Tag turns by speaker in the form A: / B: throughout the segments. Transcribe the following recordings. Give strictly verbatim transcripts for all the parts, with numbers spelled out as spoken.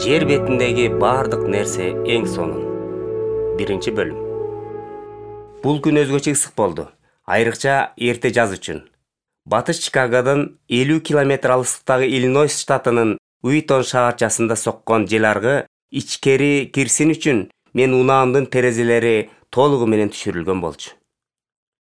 A: Жер бетиндеги бардык нерсе эң сонун. Биринчи бөлүм. Бул күн өзгөчө ысык болду, айрыкча эрте жаз үчүн. Батыш Чикагодон элүү километр алыстыктагы Иллинойс штатынын Уитон шаарчасында соккон жел аргы ичкери кирсин үчүн мен унаамдын терезелери толугу менен түшүрүлгөн болчу.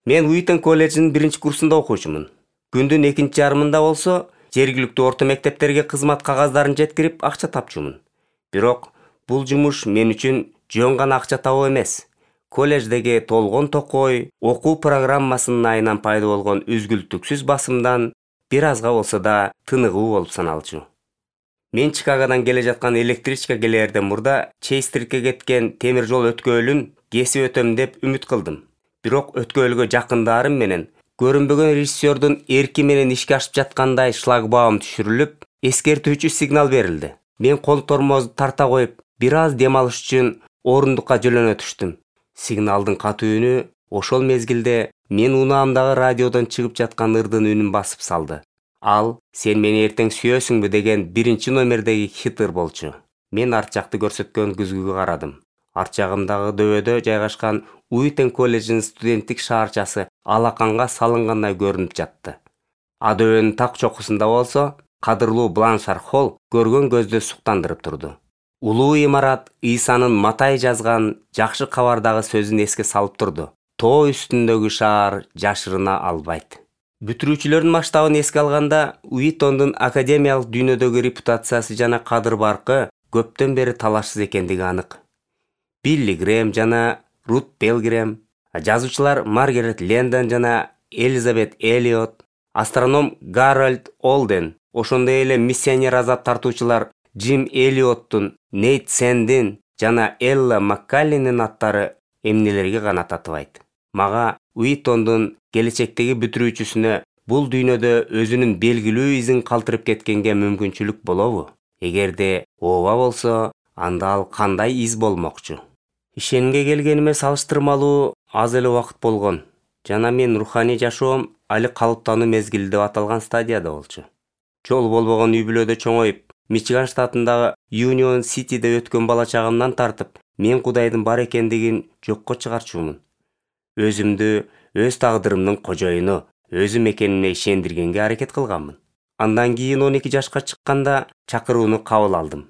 A: Мен Уитон колледжинин биринчи курсунда окуучумун. Күндүн экинчи жарымында болсо жергиликтүү орто мектептерге кызмат кагаздарын жеткирип акча тапчумун. Бирок бул жумуш мен үчүн жөн гана акча табуу эмес. Колледждеги толгон токой окуу программасынын айынан пайда болгон үзгүлтүксүз басымдан бир азга болсо да тыныгуу болуп саналчу. Мен Чикагодон келе жаткан электричка келээрден мурда Чейстритке кеткен темир жол өткөөлүн кесип өтөм деп үмүт кылдым. Бирок өткөөлгө жакындарым менен көрүнбөгөн режиссердун эрки менен ишке ашып жаткандай шлагбаум түшүрүлүп, эскертүүчү сигнал берилди. Мен кол тормозду тарта коюп, бир аз дем алыш үчүн орундукка жөлөнө түштүм. Сигналдын катуу үнү ошол мезгилде мен унаамдагы радиодон чыгып жаткан ырдын үнүн басып салды. Ал «Сен мени эртең сүйөсүңбү» деген биринчи номердеги хит ыр болчу. Мен арт жакты көрсөткөн күзгүгө карадым. Арт жагымдагы дөбөдө жайгашкан Уитон колледжинин студенттик шаарчасы алаканга салынгандай көрүнүп жатты. А дөбөнүн так чокусунда болсо кадырлуу Бланшар Холл көргөн көздү суктандырып турду. Улуу имарат Ыйсанын Матай жазган жакшы кабардагы сөзүн эске салып турду. Тоо үстүндөгү шаар жашырына албайт. Бүтүрүүчүлөрдүн масштабын эске алганда, Уитондун академиялык дүйнөдөгү репутациясы жана кадыр баркы көптөн бери талашсыз экендиги анык. Билли Грэм жана Рут Пилгрим, жазуучулар Маргарет Лэндон жана Элизабет Эллиот, астроном Гарольд Олден, ошондой эле миссионер азап тартуучулар Джим Эллиоттун, Нейт Сэндин жана Элла Маккаллинин аттары эмнелерге гана татыбайт. Мага Уитондун келечектеги бүтүрүүчүсүнө бул дүйнөдө өзүнүн белгилүү изин калтырып кеткенге мүмкүнчүлүк болобу? Эгерде ооба болсо, анда ал кандай из болмокчу? Ишенимге келгениме салыштырмалуу аз эле убакыт болгон жана мен руханий жашоом али калыптануу мезгили деп аталган стадияда болчу. Жол болбогон үй-бүлөдө чоңоюп, Мичиган штатындагы Юнион Ситиде өткөн бала чагымдан тартып, мен Кудайдын бар экендигин жокко чыгарчумун. Өзүмдү өз тагдырымдын кожоюну, өзүм экенине ишендиргенге аракет кылганмын. Андан кийин он эки жашка чыкканда чакырууну кабыл алдым.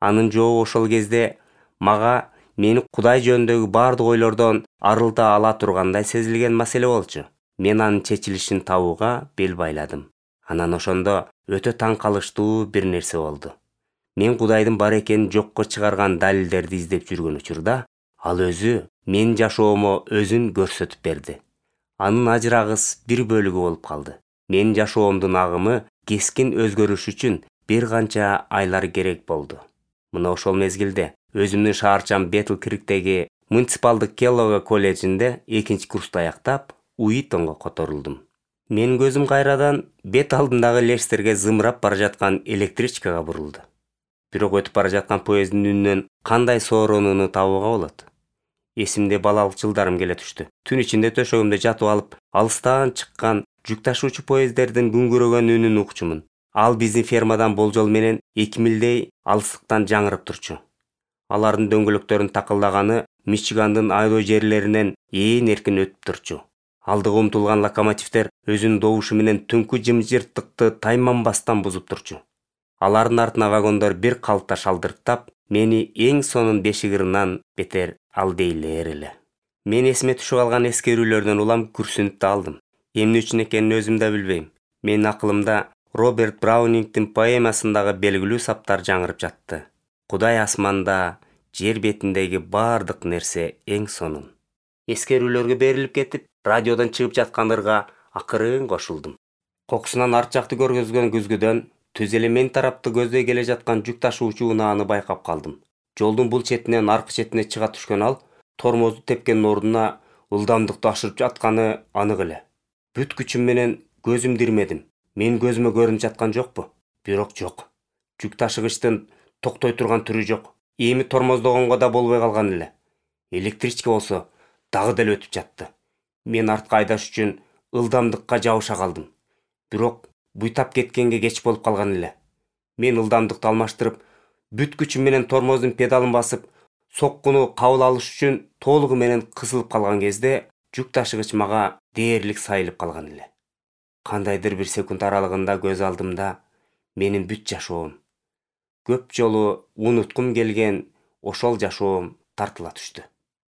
A: Анын жообу ошол кезде мага мени Кудай жөнүндөгү бардык ойлордон арылта ала тургандай сезилген маселе болчу. Мен анын чечилишин табууга бел байладым. Анан ошондо өтө таң калыштуу бир нерсе болду. Мен Кудайдын бар экенин жокко чыгарган далилдерди издеп жүргөн учурда, ал өзү менин жашоомо өзүн көрсөтүп берди. Анын ажырагыс бир бөлүгү болуп калды. Менин жашоомдун агымы кескин өзгөрүш үчүн бир канча айлар керек болду. Мына ошол мезгилде өзүмдүн шаарчам Бетл Криктеги муниципалдык Келлого колледжинде экинчи курсту аяктап, Уитонго которулдум. Менин көзүм кайрадан бет алдындагы Лестерге зымырап бара жаткан электричкага бурулду. Бирок өтүп бара жаткан поезддин үнүнөн кандай сооронууну табууга болот? Эсимде балалык жылдарым келе түштү. Түн ичинде төшөгүмдө жатып алып, алыстан чыккан жүк ташуучу поезддердин күңгүрөгөн үнүн укчумун. Ал биздин фермадан болжол менен эки милдей алыстыктан жаңырып турчу. Алардын дөңгөлөктөрүнүн такылдаганы Мичигандын айдоо жерлеринен ээн эркин өтүп турчу. Алдыга умтулган локомотивдер өзүнүн добушу менен түнкү жымжырттыкты тайманбастан бузуп турчу. Алардын артына вагондор бир калыпта шалдырттап, мени эң сонун бешик ырынан бетер алдейлер эле. Мен эсиме түшүп алган эскерүүлөрдөн улам күрсүнүп да алдым. Эмне үчүн экенин өзүм да билбейм. Менин акылымда Роберт Браунингдин поэмасындагы белгилүү саптар жаңырып жатты. Кудай асманда, жер бетиндеги бардык нерсе эң сонун. Эскерүүлөргө берилип кетип, радиодон чыгып жаткан ырга акырын кошулдум. Кокусунан арт жакты көргөзгөн күзгүдөн түз эле мен тарапты көздөй келе жаткан жүк ташуучу унааны байкап калдым. Жолдун бул четинен аркы четине чыга түшкөн ал тормозду тепкенин ордуна ылдамдыкты ашырып жатканы анык эле. Бүт күчүм менен көзүмдү ирмедим. Мен көзүмө көрүнүп жаткан жокпу? Бирок жок. Жүк ташыгычтын токтой турган түрү жок. Эми тормоздогонго да болбой калган эле. Электричка болсо дагы деле өтүп жатты. Мен артка айдаш үчүн ылдамдыкка жабыша калдым. Бирок буйтап кеткенге кеч болуп калган эле. Мен ылдамдыкты алмаштырып, бүт күчүм менен тормоздун педалын басып, соккуну кабыл алыш үчүн толугу менен кысылып калган кезде жүк ташыгыч мага дээрлик сайылып калган эле. Кандайдыр бир секунд аралыгында көз алдымда менин бүт жашоом, көп жолу унуткум келген ошол жашоом тартыла түштү.